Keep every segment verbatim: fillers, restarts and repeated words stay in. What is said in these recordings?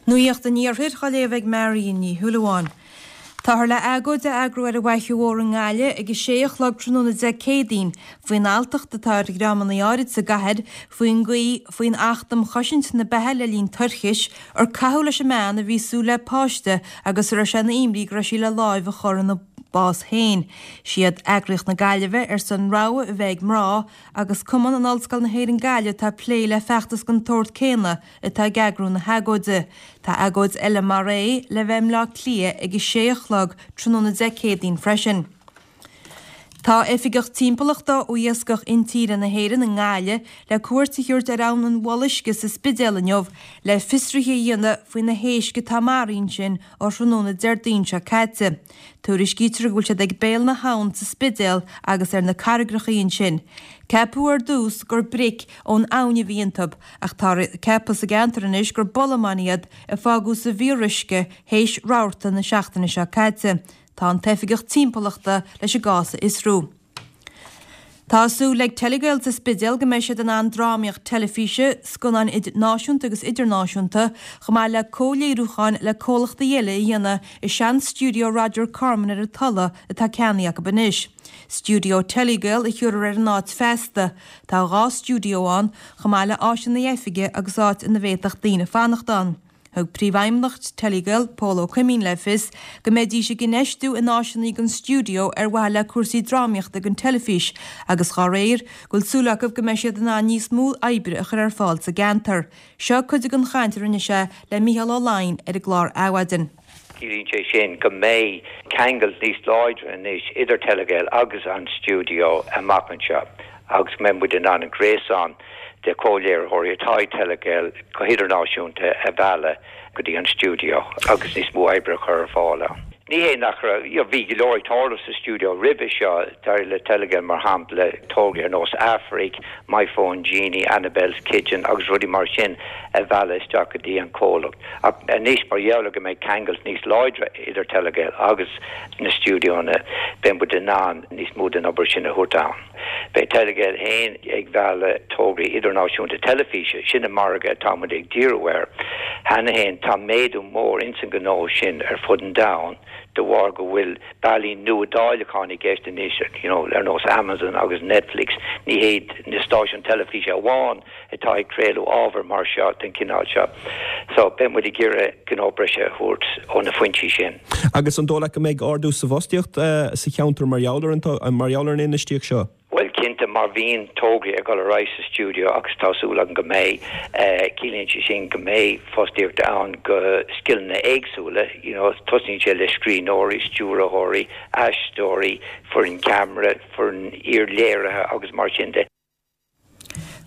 Nuacht an Iarthair á léamh ag Marion Ní Shúilleabháin. Táthar le agóid a eagrú ar an bhFaiche Mhór i nGaillimh ag a sé a chlog tráthnóna Dé Céadaoin faoin alltacht atá ar dhreamanna áirid sa gcathair faoin gcaoi faoin Acht um Chosaint na Beatha le linn toirchis ar caitheadh leis an mbean a bhí ag súil le páiste agus a raibh sé ina imní go raibh sí le láimh a chur ina bás féin. Siad Eagraíocht na Gaillimhe ar son rogha a bheith ag mná agus Cumann in Ollscoil na hÉireann Gaillimh atá ag plé le feachtas den tsórt céanna atá ag eagrú na hagóide. Tá agóid eile mar é le bheith i mBleá Cliath ag a sé a chlog tráthnóna Dé Céadaoin freisin. Tá oifigeach timpeallachta ó Iascach Intíre na hÉireann i nGaillimh le cuairt a thabhairt ar Abhainn an Bholuisce sa Spidéal inniu le fiosruithe a dhéanamh faoi na héisc atá maraithe ansin ó thráthnóna Déardaoin seo caite. Tuairiscítear go bhfuil siad ag béal na habhann sa Spidéal agus ar na carraigreacha ansin. Ceapadh ar dtús gur bric ón abhainn a bhí iontu ach tá ceaptha sa gceantar anois gur bolamáin iad a fágadh sa bhfíoruisce théis rabharta na seachtaine seo caite. Tá an t-oifigeach timpeallachta leis an gcás a fhiosrú. Tá súil ag Telegael sa Spidéal go mbeidh siad in ann drámaíocht teilifíse, scannáin náisiúnta agus idirnáisiúnta, chomh maith le comhléiriúcháin le comhlachtaí eile a dhéanamh i sean-stiúideo Roger Corman ar an Tulaigh atá ceannaithe acu anois. Stiúideo Telegael a thiúrfar ar an áit feasta. Tá dhá stiúideo ann, chomh maith le áiseanna oifige agus áit ina bhféadfadh daoine fanacht ann. Thug príomhfheidhmeannach Telegael, Pól Ó Cuimín le fios go mbeidís ag infheistiú in áiseanna don stiúideo ar mhaithe le cúrsaí drámaíochta don teilifís agus dá réir go bhfuil súil acu go mbeidh siad in ann níos mó oibre a chur ar fáil sa gceantar. Seo cuid den chaint a rinne sé le Mícheál Ó Laighin ar an gclár Adhmhaidin. Ciallaíonn sé sin go mbeidh ceangal níos láidre anois idir Telegael agus an stiúideo amach anseo agus go mbeidh muid in ann an gréasán de chomhléiritheoirí atá ag Telegael go hidirnáisiúnta a mhealladh go dtí an stiúideo agus níos mó oibre a chur ar fáil ann. Ní hé nach raibh bhí go leor ag tarlú sa stiúideo roimhe seo dar le Telegael mar shampla tograí ar nós Aifric, My Phone Genie, Annabelle's Kitchen agus rudaí mar sin a mhealladh isteach go dtí an comhlacht. Ach anois mar gheall go mbeidh ceangal níos láidre idir Telegael agus na stiúideonna beidh muid in ann níos mó den obair sin a thabhairt ann. Beidh Telegael féin ag mealladh tograí idirnáisiúnta teilifíse sin an margadh atá muid ag díriú air. Cheana féin tá méadú mór ins an gnó sin ar fud an domhain de bharr go bhfuil bealaí nua dáileacháin i gceist anois you know, ar nós Amazon agus Netflix ní hiad na stáisiúin teilifíse amháin atá ag craoladh ábhar mar seo den chineál seo. So beidh muid ag iarraidh gnó breise a thabhairt ó na foinsí sin. Agus an dóigh leat go mbeidh ardú sa bhfostaíocht uh, sa cheantar mar gheall ar mar gheall ar an infheistíocht seo. Well cinnte má bhíonn tograí ag dul ar aghaidh sa stiúideo agus tá súil agam go mbeidh ciallaíonn sé sin go mbeidh fostaíocht ann go scileanna éagsúla, you know, tosaíonn sé le scríbhneoirí, stiúrthóirí, aisteoirí, foireann ceamara, foireann iarléirithe agus mar sin de.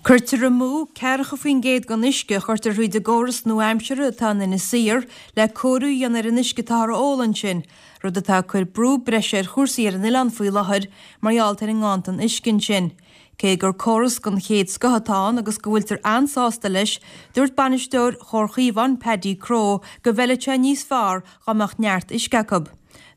Cuirtear amú ceathracha faoin gcéad den uisce a chuirtear thríd an gcóras nua-aimseartha atá in Inis Oírr le cóiriú a dhéanamh ar an uisce atá á ól ansin, rud atá ag cur brú breise ar chúrsaí ar an oileán faoi láthair mar gheall ar an nganntan uisce ansin. Cé gur córas den chéad scoth atá ann agus go bhfuiltear an-sásta leis, dúirt bainisteoir Chomhar Chaomhán Paddy Crow go bhfeilfeadh sé níos fearr dá mbeadh neart uisce acu.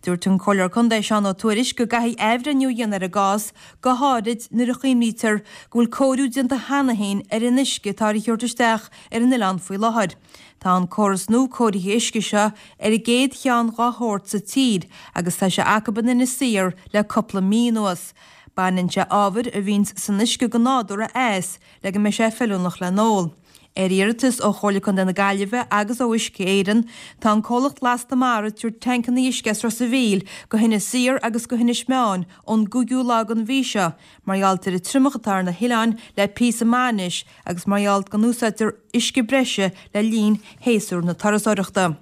Dúirt an Comhairleoir Contae Seán Ó Tuairisg go gcaithfidh athbhreithniú a dhéanamh ar an gcás go háirid nuair a chuimhnítear go bhfuil cóiriú déanta cheana féin ar an uisce atá á thabhairt isteach ar an oileán faoi láthair. Tá an córas nua cóirithe uisce seo ar an gcéad cheann dá shórt sa tír agus tá sé acu in Inis Oírr le cúpla mí anuas. Baineann sé ábhair a bhíonn san uisce go nádúrtha as le go mbeidh sé feiliúnach le n-ól. Ar iarratas ó Chomhairle Contae na Gaillimhe agus ó Uisce Éireann, tá an comhlacht Lasta Mara ag tabhairt tancanna uisce as Ros an Mhíl go hInis Oírr agus go hInis Meáin ón gcúigiú lá den mhí seo, mar gheall ar an triomach atá ar na hoileáin le píosa maith anois agus mar gheall go n-úsáidtear uisce breise le linn shéasúr na turasóireachta.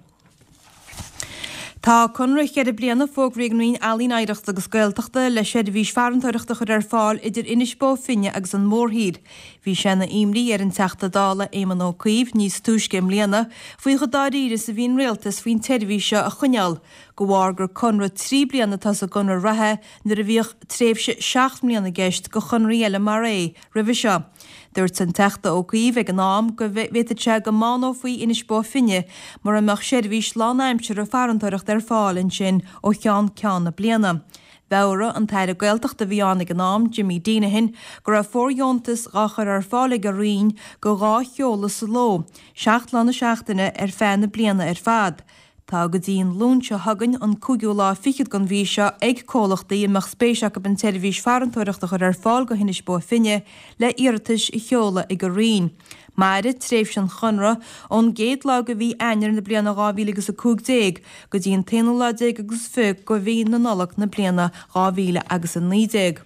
Tá conradh ceithre bliana fógraithe ag an Roinn Ealaíon Oidhreachta agus Gaeltachta le seirbhís farantóireachta a chur ar fáil idir Inis Bó Finne agus an Mhórthír. Bhí sé ina imní ar an Teachta Dála Éamon Ó Cuív níos túisce i mbliana faoi chomh dáiríre is a bhí an rialtas faoin tseirbhís seo a choinneáil, de bharr gur conradh trí bliana atá sa gconradh reatha nuair a bhíodh tréimhse seacht mbliana i gceist do chonraí eile mar é roimhe seo. Dúirt an Teachta Ó Cuív ag an am go bhféadfadh sé go mbánófaí Inis Bó Finne mura mbeadh seirbhís lánaimseartha farantóireachta ar fáil ansin ó cheann ceann na bliana. Mheabhraigh an tAire Gaeltachta a bhí ann ag an am, Jimmy Deenihan, go raibh fóirdheontas dhá chur ar fáil ag a Roinn go dhá sheoladh sa ló, seacht lá na seachtaine ar feadh na bliana ar fad. Tá go dtí an Luan seo chugainn, an cúigiú lá fichead den mhí seo, ag comhlachtaí a mbeadh spéis acu an tseirbhís farantóireachta a chur ar fáil go hInis Bó Finne le iarratais a sheoladh ag an Roinn. Mairfidh tréimhse an chonradh ón gcéad lá de mhí Eanáir na bliana dhá mhíle agus a cúig déag go dtí an t-aonú lá déag agus fiche de mhí na Nollag na bliana dhá mhíle agus a naoi déag.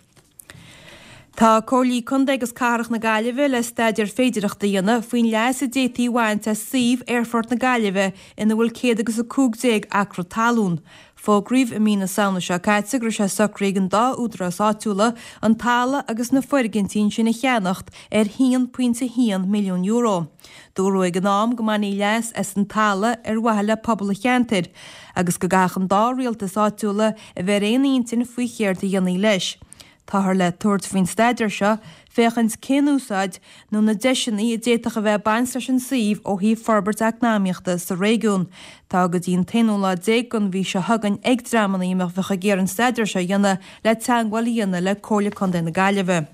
Tá Comhairlí Contae agus Cathrach na Gaillimhe le staidéar féidearthachta a dhéanamh faoin leas a d'fhéadfaí a bhaint as suíomh Aerfort na Gaillimhe ina bhfuil céad agus a cúig déag acra talún. Fógraíodh i mí na Samhna seo caite go raibh sé socraithe ag an dá údarás áitiúla an talamh agus na foirgintí ansin a cheannacht ar haon pointe haon milliún euro. Dúradh ag an am go mbainfí leas as an talamh ar mhaithe le pobal an cheantair agus go gcaithfeadh an dá rialtas áitiúla a bheith ar aon intinn faoi chéard a dhéanfaí leis. Táthar le tabhairt faoin staidéar seo féachaint cén úsáid nó na deiseanna a d'fhéadfadh a bheith ag baint leis an suíomh ó thaobh forbairt eacnamaíochta sa réigiún. Tá go dtí an t-aonú lá déag den mhí seo chugainn ag dreamanna a bheadh ag iarraidh an staidéar seo a dhéanamh le teagmháil a dhéanamh le Comhairle Contae na Gaillimhe.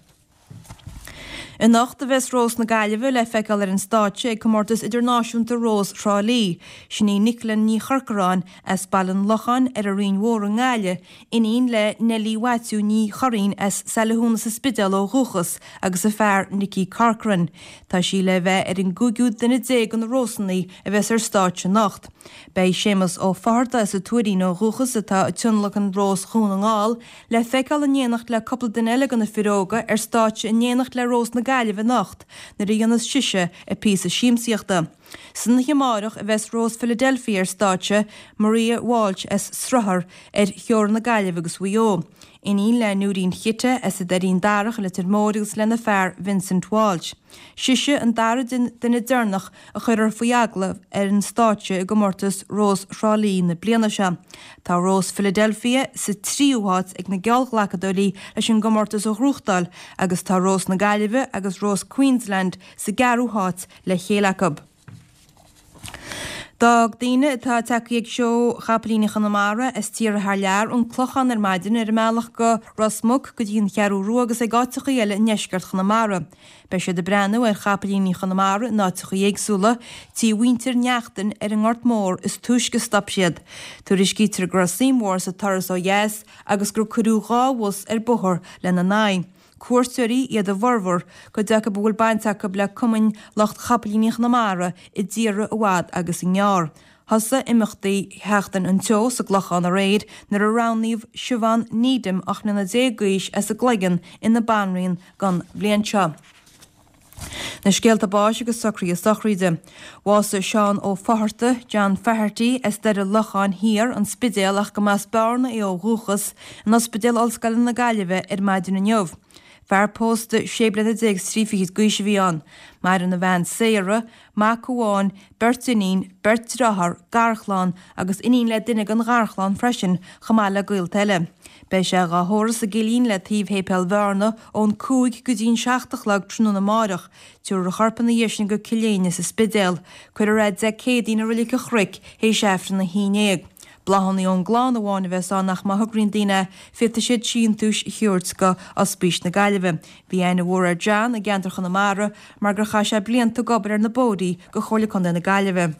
Anocht a bheas Rós na Gaillimhe le feiceáil ar an stáitse ag Comórtas Idirnáisiúnta Rós Thrá Lí. Sin í Nicola Ní Chorcoráin as Baile an Locháin ar an Rinn Mhór i nGaillimh, iníon le Neilí Mhaitiú Ní Churraoin as Saile Thúna sa Spidéal ó dhúchas agus a fear Nicky Corcoran. Tá sí le bheith ar an gcúigiú duine déag de na Rósanna a bheas ar stáitse anocht. Beidh Séamus Ó Fátharta as an Tuairín ó dhúchas atá ag tionlacan Rós Dhún na nGall le feiceáil in éineacht le cúpla duine eile de na fir óga ar stáitse in éineacht le Rós na Gaillimhe anocht nuair a dhéanfas sise a píosa siamsaíochta. San oíche amárach a bheas Rós Philadelphia ar stáitse, Maria Walsh as Sruthar ar theorainn na Gaillimhe agus Mhaigh Eo. Iníon le Nóirín Chite as an Doirín Darach i Leitir Móir agus lena fear Vincent Walsh. Sise an dara duine deireanach a chuirfear faoi agallamh ar an stáitse i gcomórtas Rós Thrá Lí na bliana seo. Tá Rós Philadelphia sa tríú háit ag na geallghlacadóirí leis an gcomórtas a ghnóthachtáil agus tá Rós na Gaillimhe agus Rós Queensland sa gceathrú háit le chéile acu. D'fhág daoine atá tagtha ag seó Chapaillíní Chonamara as tíortha thar lear an Clochán ar maidin ar a mbealach go Ros Muc go dtí an Cheathrú Rua agus ag áiteachaí eile i ndeisceart Chonamara. Beidh siad ag breathnú ar chapaillíní Chonamara in áiteachaí éagsúla, tí mhuintir Neachtain ar an nGort Mór is túisce a stop siad. Tuairiscítear go raibh suim mhór sa turas ó dheas agus gur cuireadh dhá bhus ar bóthar lena n-aghaidh. Cuairteoirí iad a bhformhór, cuid acu a bhfuil baint acu le cumainn lucht chapaillíní Chonamara i dtíortha i bhfad agus i ngearr. Thosaigh imeachtaí Sheachtain an tSeó sa gClochán aréir nuair a roghnaíodh Siobhán Needham, ocht mbliana déag d'aois, as an gCloigeann ina banríon don bhliain seo. Na scéalta báis agus socruithe sochraide. Bhásaigh Seán Ó Fátharta, John Faherty, as Doire Locháin Thiar, An Spidéal ach go mb'as Bearna é ó dhúchas, in Ospidéal Ollscoile na Gaillimhe ar maidin inniu. Fear pósta sé bliana déag is trí fichid d'aois a bhí ann. Maireann a bhean Sarah, mac amháin, beirt iníon, beirt dearthár, garchlann agus iníon le duine den gharchlann freisin, chomh maith le gaolta eile. Beidh sé dhá thórramh sa gCillín le taobh Shéipéal Bhearna ón cúig go dtí an seacht a chlog tráthnóna amáireach. Tabharfar a chorp ina dhiaidh sin go Cill Éinne sa Spidéal. Cuirfear é Dé Céadaoin i Reilig an Chnoic théis Aifreann a haon déag. Bláthanna ón gclann amháin a bheas ann ach má thograíonn daoine féadfaidh siad síntiúis a thabhairt go Ospís na Gaillimhe. Bhí aithne mhór ar John i gceantar Chonamara mar gur chaith sé blianta ag obair ar na bóithrí go Chomhairle Contae na Gaillimhe.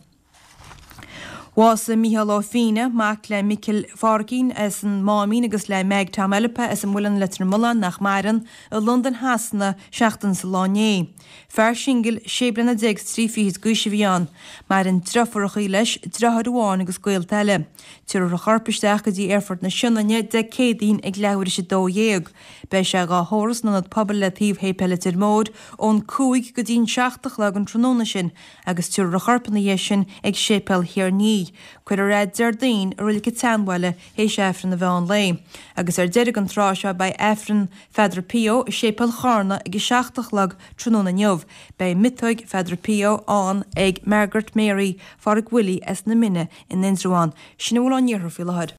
Bhásaigh Mícheál Ó Fianna, mac le Micil Pháricín as an Máimín agus le Meg Tom Eilpe as an Muileann Leitir Mealláin nach maireann, i Londain Shasana seachtain sa lá inné. Fear singil sé bliana déag is trí fichid d'aois a bhí ann. Maireann deirfiúrachaí leis, deartháir amháin agus gaolta eile. Tabharfar a chorp isteach go dtí Aerfort na Sionainne Dé Céadaoin ag leathuair théis a dó dhéag. Beidh sé dhá thórramh san Ionad Pobail le taobh Shéipéal Leitir Móir ón cúig go dtí an seacht a chlog an tráthnóna sin agus tabharfar a chorp ina dhiaidh sin ag Séipéal Thír an Fhia. Cuirfear é Déardaoin i Reilig an tSeanbhaile théis Aifreann an mheán lae. Agus ar deireadh an tráth seo beidh Aifreann Pheadar Pio i Séipéal Charna ag a seacht a chlog tráthnóna inniu. Beidh miotóig Pheadar Pio ann ag Margaret Mary Phádraig Willie as na Mine in Indreabhán. Sin a bhfuil ón iarthar faoi láthair.